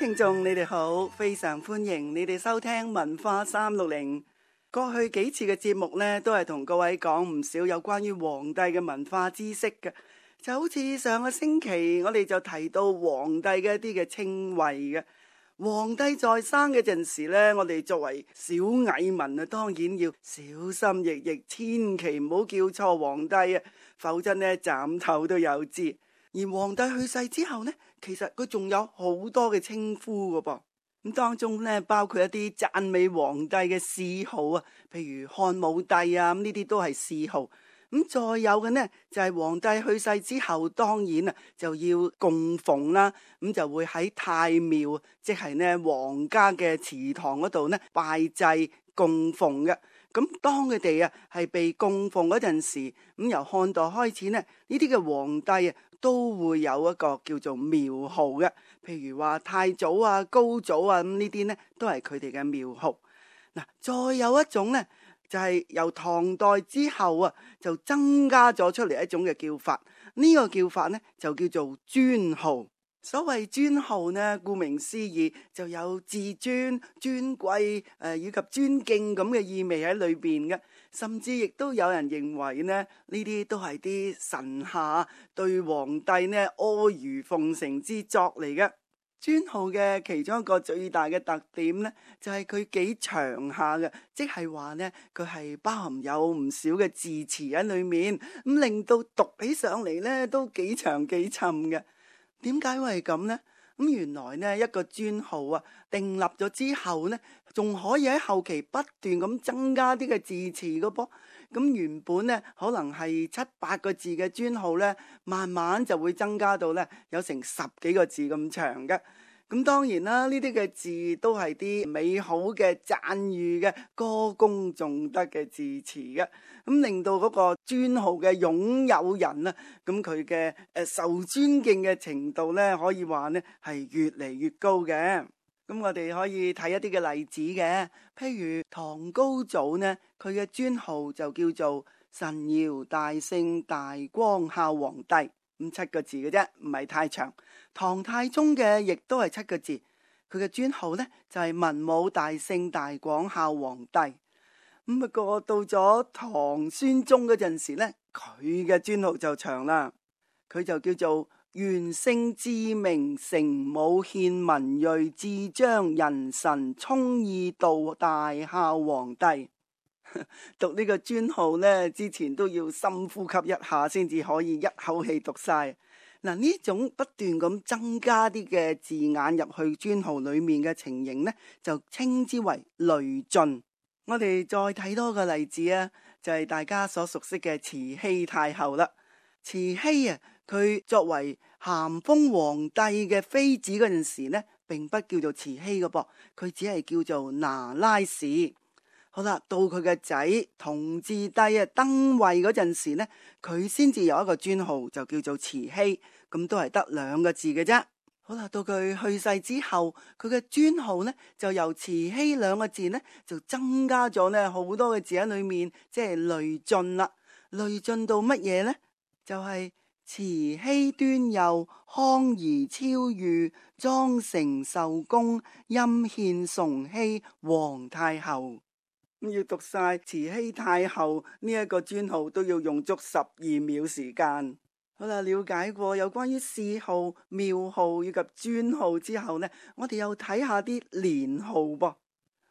聽眾你哋好，非常歡迎你哋收聽文化360。過去幾次嘅節目呢，都係同各位講唔少有關於皇帝嘅文化知識嘅。就好似上個星期我哋就提到皇帝嘅一啲嘅稱謂嘅。皇帝在生嘅陣時呢，我哋作為小蟻民啊，當然要小心翼翼，千祈唔好叫錯皇帝啊，否則呢斬頭都有之。而皇帝去世之後呢，其實佢仲有好多嘅稱呼噶噃，咁當中呢，包括一啲讚美皇帝嘅諡號啊，譬如漢武帝啊，咁呢啲都係諡號。咁再有嘅呢，就係皇帝去世之後，當然啊就要供奉啦，咁就會喺太廟，即係呢皇家嘅祠堂嗰度呢拜祭供奉嘅。咁當佢哋啊係被供奉嗰陣時，咁由漢代開始呢，呢啲嘅皇帝啊都會有一個叫做廟號嘅，譬如話太祖啊、高祖啊，咁呢啲呢都係佢哋嘅廟號。嗱，再有一種呢，就係由唐代之後啊，就增加咗出嚟一種嘅叫法。呢個叫法呢，就叫做尊號。所謂尊號呢，顧名思義就有至尊、尊貴以及尊敬咁嘅意味喺裏邊嘅。甚至亦都有人認為呢，呢啲都係啲臣下對皇帝呢阿諛奉承之作嚟嘅。尊號嘅其中一個最大嘅特點呢，就係佢幾長下嘅，即係話呢，佢係包含有唔少嘅字詞喺裏面，咁令到讀起上嚟呢都幾長幾沉嘅。點解會係咁呢？咁原來呢一個尊號啊，訂立咗之後呢，仲可以喺後期不斷咁增加啲嘅字詞噶噃。咁原本呢可能係7-8個字嘅尊號呢，慢慢就會增加到呢有成10幾個字咁長嘅。咁當然啦，呢啲嘅字都係啲美好嘅讚譽嘅歌功頌德嘅字詞嘅，咁令到嗰個尊號嘅擁有人啊，咁佢嘅受尊敬嘅程度呢，可以話呢係越嚟越高嘅。咁我哋可以睇一啲嘅例子嘅，譬如唐高祖呢，佢嘅尊號就叫做神堯大聖大光孝皇帝，咁7個字嘅啫，唔係太長。唐太宗嘅亦都係7個字，佢嘅尊號呢就係文武大聖大廣孝皇帝。咁不過到咗唐宣宗嗰陣時呢，佢嘅尊號就長啦，佢就叫做元聖至明成武獻文睿至彰仁臣聰義道大孝皇帝。讀呢個尊號呢，之前都要深呼吸一下先至可以一口氣讀晒。嗱，呢種不斷咁增加啲嘅字眼入去尊號裏面嘅情形呢，就稱之為累進。我哋再睇多個例子啊，就係大家所熟悉嘅慈禧太后啦。慈禧啊，佢作為咸豐皇帝嘅妃子嗰陣時呢，並不叫做慈禧嘅噃，佢只係叫做那拉氏。好啦，到佢嘅仔同治帝啊登位嗰陣時呢，佢先至有一個尊號，就叫做慈禧，咁都係得2個字嘅啫。好啦，到佢去世之後，佢嘅尊號呢就由慈禧2個字呢就增加咗呢好多嘅字喺裏面，即係累進啦。累進到乜嘢呢？就係慈禧端佑康儀超御莊承壽宮欽獻崇禧皇太后。要讀晒慈禧太后呢一個尊號都要用足12秒時間。好啦，了解過有關於諡號、廟號以及尊號之後呢，我哋又睇下啲年號噃。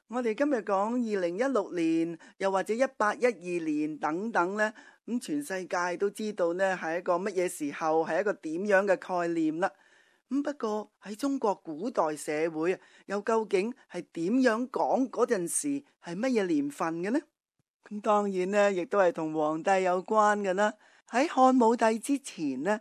我哋今日講2016年，又或者1812年等等呢，咁全世界都知道呢係一個乜嘢時候，係一個點樣嘅概念啦。咁不過喺中國古代社會啊，又究竟係點樣講嗰陣時係乜嘢年份嘅呢？咁當然呢，亦都係同皇帝有關嘅啦。喺漢武帝之前呢，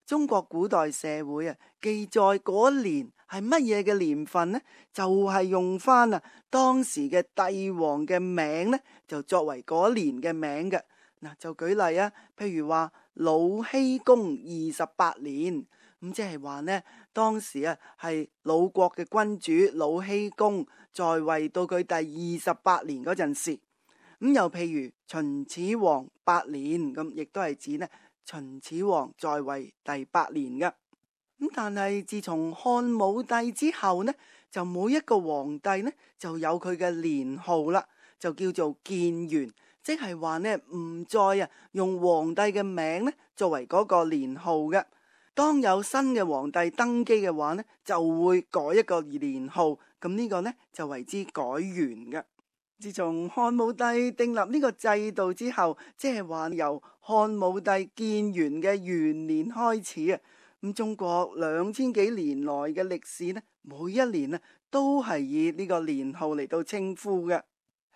中國古代社會啊記載嗰年係乜嘢嘅年份呢？就係用翻啊當時嘅帝王嘅名呢，就作為嗰年嘅名嘅。嗱，就舉例啊，譬如話魯僖公28年。咁即係話呢，當時啊係魯國嘅君主魯僖公在位到佢第28年嗰陣時，咁又譬如秦始皇8年，咁亦都係指呢秦始皇在位第8年嘅。咁但係自從漢武帝之後呢，就每一個皇帝呢就有佢嘅年號啦，就叫做建元，即係話呢唔再用皇帝嘅名呢作為嗰個年號嘅。當有新嘅皇帝登基嘅話呢，就會改一個年號，咁呢個呢就為之改元嘅。自從漢武帝訂立呢個制度之後，即係話由漢武帝建元嘅元年開始啊，咁中國2000幾年來嘅歷史呢，每一年都係以呢個年號嚟到稱呼嘅。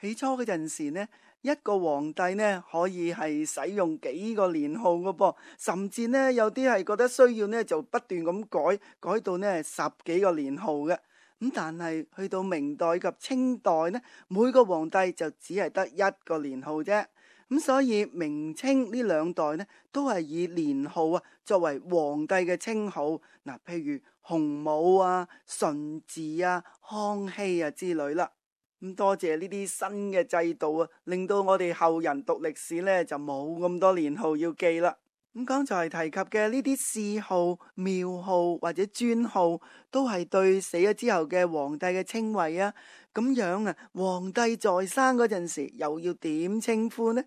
起初嗰陣時呢，一個皇帝呢可以係使用幾個年號嘅噃，甚至呢有啲係覺得需要呢就不斷咁改到呢10幾個年號嘅。咁但係去到明代及清代呢，每個皇帝就只係得一個年號啫。咁所以明清呢兩代呢都係以年號作為皇帝嘅稱號。嗱，譬如洪武啊、順治啊、康熙啊之類啦。咁多謝呢啲新嘅制度令到我哋後人讀歷史呢就冇咁多年號要記啦。咁剛才提及嘅呢啲諡號、廟號或者尊號，都係對死咗之後嘅皇帝嘅稱謂啊。咁樣皇帝在生嗰陣時又要點稱呼呢？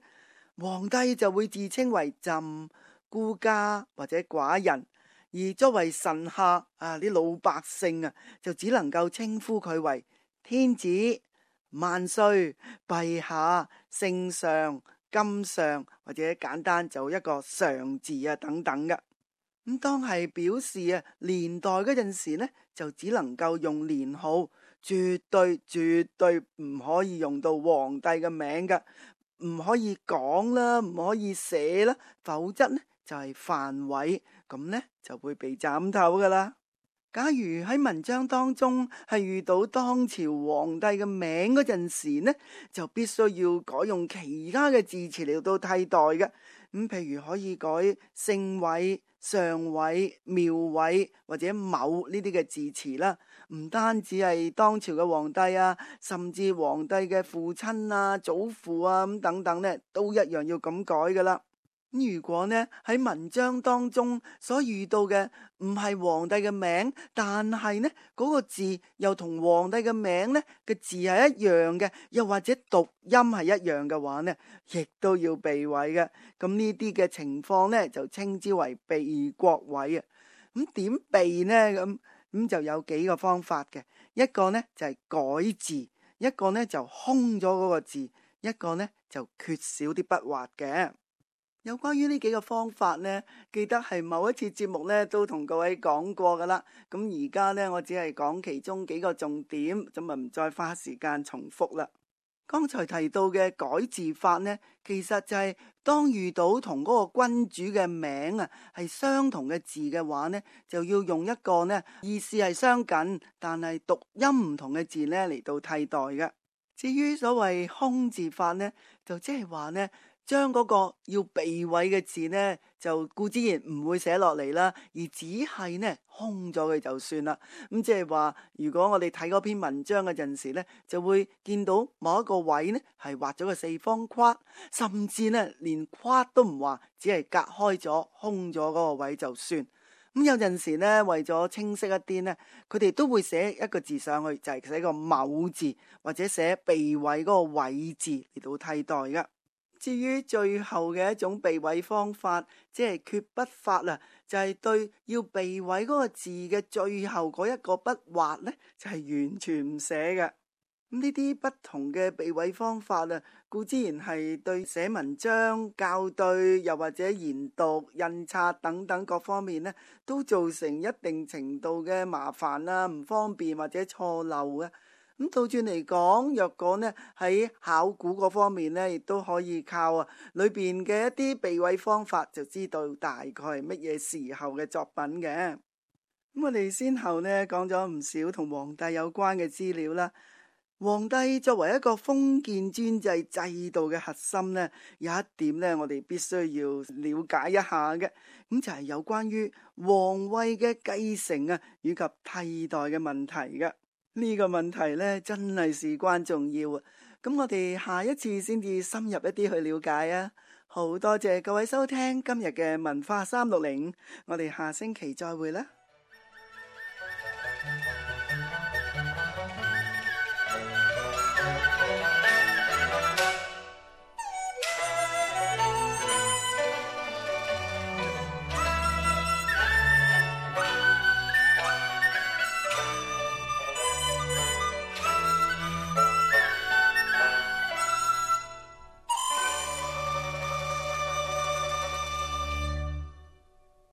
皇帝就會自稱為朕、孤家或者寡人，而作為臣下啲老百姓就只能夠稱呼佢為天子、萬歲、陛下、聖上、金上，或者簡單就一個上字等等嘅。咁當係表示年代嗰陣時呢，就只能夠用年號，絕對唔可以用到皇帝嘅名嘅，唔可以講啦，唔可以寫啦，否則呢就係犯違，咁呢就會被斬頭噶啦。假如喺文章當中係遇到當朝皇帝嘅名嗰陣時呢，就必須要改用其他嘅字詞嚟到替代嘅。咁譬如可以改姓韋、上韋、廟韋或者某呢啲嘅字詞啦。唔單止係當朝嘅皇帝甚至皇帝嘅父親祖父咁等等呢，都一樣要咁改噶啦。如果呢喺文章當中所遇到嘅唔係皇帝嘅名，但係呢嗰個字又同皇帝嘅名呢嘅字係一樣嘅，又或者讀音係一樣嘅話呢，亦都要避諱嘅。咁呢啲嘅情況呢就稱之為避國諱啊。咁點避呢？咁就有幾個方法嘅。一個呢就係改字，一個呢就空咗嗰個字，一個呢就缺少啲筆畫嘅。有關於呢幾個方法呢，記得係某一次節目呢都同各位講過噶啦。咁而家呢，我只係講其中幾個重點，咁唔再花時間重複啦。剛才提到嘅改字法呢，其實就係當遇到同嗰個君主嘅名係相同嘅字嘅話呢，就要用一個呢意思係相近，但係讀音唔同嘅字呢嚟到替代嘅。至於所謂空字法呢，就即係話呢，將嗰個要避諱嘅字呢，就固之然唔會寫落嚟啦，而只係呢空咗佢就算啦。咁即係話，如果我哋睇嗰篇文章嘅陣時呢，就會見到某一個位呢係畫咗個四方框，甚至呢連框都唔畫，只係隔開咗空咗嗰個位就算。咁有陣時呢，為咗清晰一啲呢，佢哋都會寫一個字上去，就係寫個某字，或者寫避諱嗰個諱字嚟到替代㗎。至於最後嘅一種避諱方法，即係缺筆法啦，就係對要避諱嗰個字嘅最後嗰一個筆畫呢，就係完全唔寫嘅。咁呢啲不同嘅避諱方法固之然係對寫文章、校對，又或者研讀、印刷等等各方面呢，都造成一定程度嘅麻煩唔方便或者錯漏嘅。咁倒轉嚟講，若果呢喺考古嗰方面呢，亦都可以靠裏邊嘅一啲避諱方法，就知道大概係乜嘢時候嘅作品嘅。咁我哋先後呢講咗唔少同皇帝有關嘅資料啦。皇帝作為一個封建專制制度嘅核心呢，有一點呢我哋必須要了解一下嘅，咁就係有關於皇位嘅繼承以及替代嘅問題嘅。呢個問題呢真係事關重要啊！咁我哋下一次先至深入一啲去了解啊！好多謝各位收聽今日嘅文化360，我哋下星期再會啦。